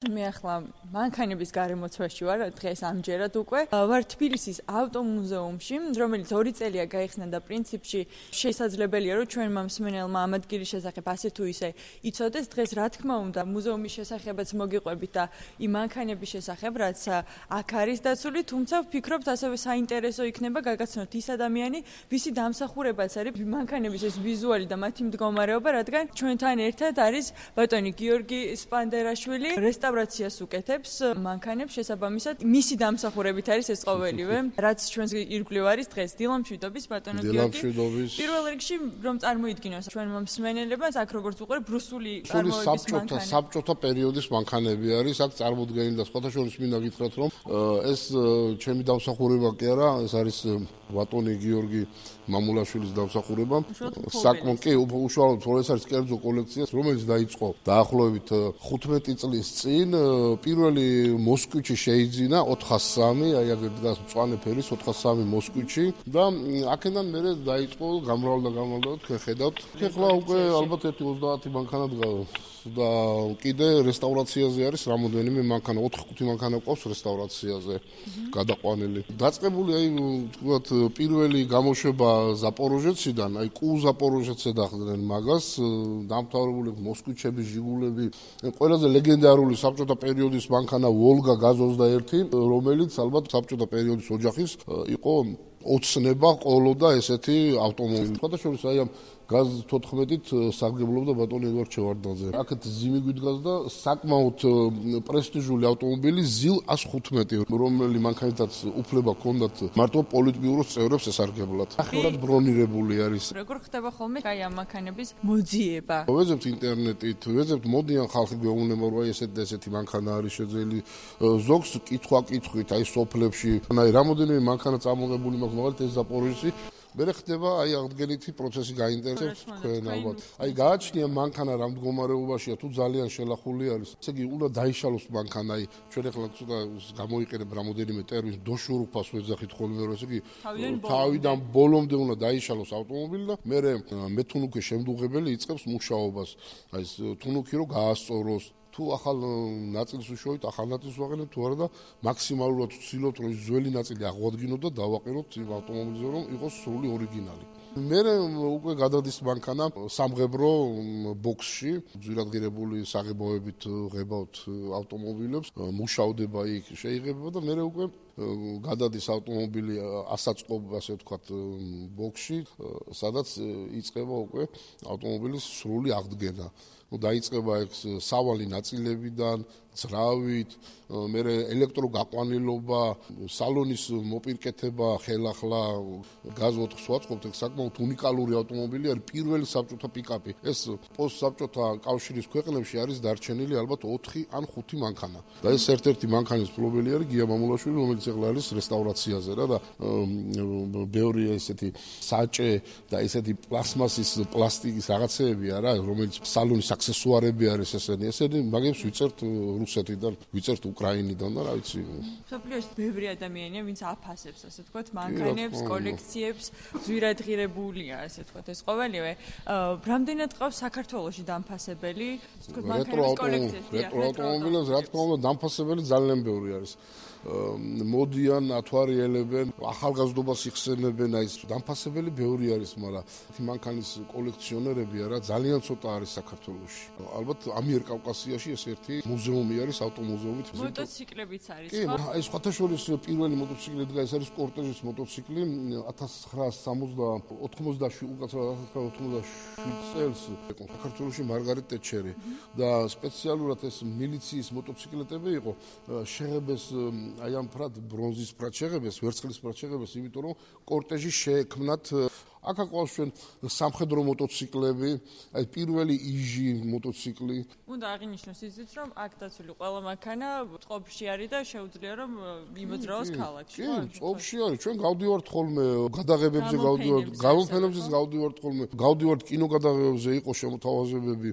მე ახლა მანქანების გარემოცვაში ვარ დღეს ამჯერად უკვე. ვარ თბილისის ავტომუზეუმში, რომელიც 2 წელია გაიხსნა და პრინციპში შესაძლებელია, რომ ჩვენმა მსმენელმა ამ ადგილის შესახებ ასე თუ ისე იცოდეს. დღეს რა თქმა უნდა, მუზეუმის შესახებაც მოგიყვებით და იმ მანქანების შესახებ, რაც აქ არის დაცული, თუმცა ვფიქრობთ ასევე საინტერესო იქნება გაგაცნოთ ის ადამიანი, ვისი დამსახურებაც არის მანქანების ეს ვიზუალი და მათი მდგომარეობა, რადგან ჩვენთან ერთად არის ბატონი გიორგი სპანდერაშვილი, რესტავრაციას უკეთებს მანქანებს, შესაბამისად მისი დამსახურებით არის ეს ყოველივე, რაც ჩვენს ირგვლივ არის დღეს. დილამშვიდობის ბატონო გიორგი. პირველ რიგში რომ წარმოიდგინოს ჩვენმა მსმენელებმა, აქ როგორც უყურებ, რუსული წარმოების მანქანა. საბჭოთა პერიოდის მანქანები არის, აქ წარმოდგენილი და სხვათა შორის მინდა გითხრათ, რომ ეს ჩემი დამსახურება კი არა, ეს არის ბატონი გიორგი მამულაშვილის დამსახურება. საკმაოდ კი უშუალოდ ეს არის კერძო კოლექცია, რომელიც დაიწყო დაახლოებით 15 წლის წინ. პირველი მოსკვიჩი შეიძინა 403, აი აგერ დგას მწვანე ფერის 403 მოსკვიჩი და აქედან მერე დაიწყო გამრავლდა თქვენ ხედავთ. ეხლა უკვე ალბათ 1-30 მანქანა დგას და კიდე რესტავრაციაზე არის რამოდენიმე მანქანა, 4-5 მანქანა ყავს რესტავრაციაზე გადაყვანილი. დაწყებული აი თქვათ პირველი გამოშვება ზაპოროჟეციდან, აი კუ ზაპოროჟეცზე დახვდნენ მაგას, დამთავრებული მოსკვიჩები, ჟიგულები, ყველაზე ლეგენდარული საბჭოთა პერიოდის მანქანა ვოლგა GAZ-21, რომელიც ალბათ საბჭოთა პერიოდის ოჯახის იყო ოცნება ყოლოდა ესეთი ავტომობილი. სხვადასხვა აი ამ GAZ-14-ით სარგებლობდა ბატონი ედვარდ ჩევარდნაძე. აქეთ ზიმი გვიდგას და საკმაოდ პრესტიჟული ავტომობილი ZIL 115, რომელი მანქანითაც უფლება ჰქონდათ მარტო პოლიტბიუროს წევრებს ესარგებლათ. ახლა ბრონირებული არის. როგორ ხდება ხოლმე აი ამ მანქანების მოძიება? ვეძებთ ინტერნეტით, ვეძებთ მოდიან ხალხი გვეუბნება, რომ აი ესეთი მანქანა არის შეძელი. ზოგს კითხვა-კითხვით აი სოფლებში, აი რამოდენიმე მანქანა წამოღებული მაქვს, მაგალითად ეს ზაპოროჟესი მერე ხდება აი აღდგენითი პროცესი გაინტერესებს თქვენ ალბათ. აი გააჩნია მანქანა რა მდგომარეობაშია, თუ ძალიან შელახული არის. ესე იგი უნდა დაიშალოს მანქანა, აი ჩვენ ახლა ცოტა გამოიყენებ რამოდენიმე ტერმინს, დოშურუფას ვეძახით ხოლმე, რომ ესე იგი თავიდან ბოლომდე უნდა დაიშალოს ავტომობილი და მერე მეთუნუქი შემდუღებელი იწყებს მუშაობას. აი ეს თუნუქი რომ გაასწოროს. თუ ახალ ნაწილს უშოვით, ახალ ნაწილს ვაყენებთ თუ არა და მაქსიმალურად ვცდილობთ, რომ ის ძველი ნაწილი აღვადგინოთ და დავაყენოთ იმ ავტომობილზე, რომ იყოს სრული ორიგინალი. მერე უკვე გადადის მანქანა სამღებრო ბოქსში, ძვირადღირებული საღებავებით ღებავთ ავტომობილებს, მუშავდება იქ შეიღება და მერე უკვე გადადის ავტომობილი ასაწყობ, ასე ვთქვათ, ბოქსში, სადაც იწყება უკვე ავტომობილის სრული აღდგენა. დაიწყება ეს სავალი ნაწილებიდან, ძრავით, მერე ელექტროგაყვანილობა, სალონის მოპირკეთება, ხელახლა GAZ-4 ვაწყობთ, ეს საკმაოდ უნიკალური ავტომობილი არის, პირველი საბჭოთა პიკაპი. ეს პოსტსაბჭოთა კავშირის ქვეყნებში არის დარჩენილი ალბათ 4 ან 5 მანქანა. და ეს ერთ-ერთი მანქანის მფლობელი არის გია მამულაშვილი, რომელიც ახლა არის რესტავრაციაზე რა და ბევრი ესეთი საჭე და ესეთი პლასმასის, პლასტიკის რაღაცეები არა, რომელიც სალონის აქსესუარები არის ესენი მაგებს ვიწერთ რუსეთიდან, ვიწერთ უკრაინიდან და რა ვიცი. მსოფლიოში ბევრი ადამიანია, ვინც აფასებს, ასე ვთქვათ, მანქანებს, კოლექციებს, ძვირადღირებულია, ასე ვთქვათ, ეს ყოველივე. რამდენად ყავს საქართველოში დამფასებელი, ვთქვათ, მანქანების კოლექციები? რეტრო ავტომობილებს, რა თქმა უნდა, დამფასებელი ძალიან ბევრი არის. მოდიან, ათვარიელებენ, ახალგაზრდობას იხსენებენ, აი ეს დამფასებელი ბევრი არის, მაგრამ მანქანის კოლექციონერები არა ძალიან ცოტა არის საქართველოში. ალბათ ამიერკავკასიაში ეს ერთი მუზეუმი არის, ავტომუზეუმი. მოტოციკლებიც არის, ხო? აი სხვათა შორის პირველი მოტოციკლი დგას, ეს არის კორტეჟის მოტოციკლი 1987 წელს საქართველოში მარგარეტ ტეტჩერი და სპეციალურად ეს militsიის მოტოციკლეტები იყო შეღებეს აი ამ ფრად ბრონზის ფრად შეღებეს, ვერცხლის ფრად შეღებეს, იმიტომ რომ კორტეჟი შეექმნათ. აქ აყვავს ჩვენ სამხედრო მოტოციკლები, აი პირველი იჟი მოტოციკლი. უნდა აღინიშნოს ისიც, რომ აქ დაცული ყველა მანქანა წყობაში არის და შეუძლია რომ იმოძრაოს ქალაქში. კი, წყობაში არის. ჩვენ გავდივართ ხოლმე გადაღებებზე, გავდივართ, გამოფენებზე გავდივართ ხოლმე, გავდივართ კინოგადაღებებზე, იყო შემოთავაზებები.